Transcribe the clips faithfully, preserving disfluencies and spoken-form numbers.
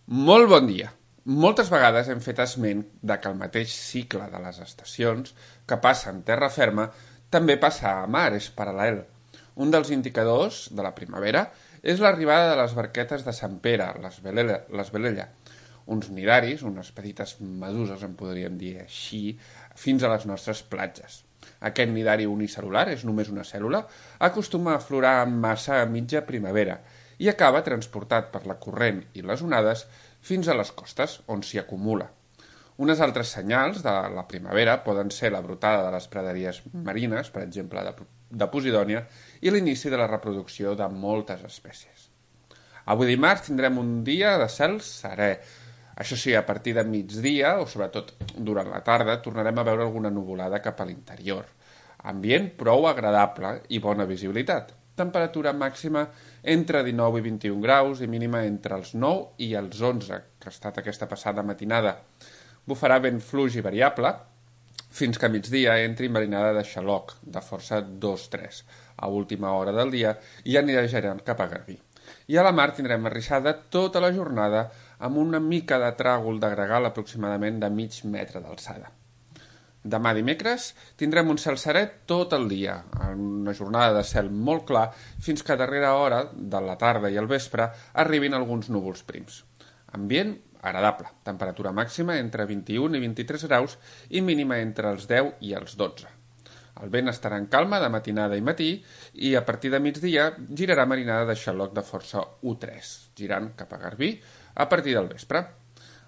Molt bon dia. Moltes vegades hem fet esment de que el mateix cicle de les estacions que passa en terra ferma també passa a mar, és paral·lel. Un dels indicadors de la primavera és l'arribada de les barquetes de Sant Pere, les Velella, les Velella, uns nidaris, unes petites meduses, en podríem dir així, fins a les nostres platges. Aquest nidari unicel·lular, és només una cèl·lula, acostuma a aflorar en massa a mitja primavera i acaba transportat per la corrent i les onades fins a les costes, on s'hi acumula. Unes altres senyals de la primavera poden ser la brotada de les praderies marines, per exemple de, de Posidònia, i l'inici de la reproducció de moltes espècies. Avui dimarts tindrem un dia de cel serè. Això sí, a partir de migdia, o sobretot durant la tarda, tornarem a veure alguna nuvolada cap a l'interior. Ambient prou agradable i bona visibilitat. Temperatura màxima entre dinou i vint-i-un graus i mínima entre els nou i els onze, que ha estat aquesta passada matinada. Bufarà vent fluix i variable, fins que a migdia entri marinada de xaloc, de força dos tres, a última hora del dia, i anirà girant cap a Garbí. I a la mar tindrem arrissada tota la jornada amb una mica de tràgol de gregal aproximadament de mig metre d'alçada. Demà dimecres tindrem un cel serè tot el dia, una jornada de cel molt clar, fins que a darrera hora de la tarda i al vespre arribin alguns núvols prims. Ambient agradable, temperatura màxima entre vint-i-un i vint-i-tres graus i mínima entre els deu i els dotze. El vent estarà en calma de matinada i matí i a partir de migdia girarà marinada de xaloc de força u tres, girant cap a Garbí a partir del vespre.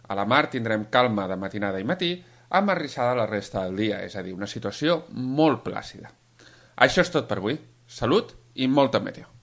A la mar tindrem calma de matinada i matí, amb arrissada la resta del dia, és a dir, una situació molt plàcida. Això és tot per avui. Salut i molta meteo.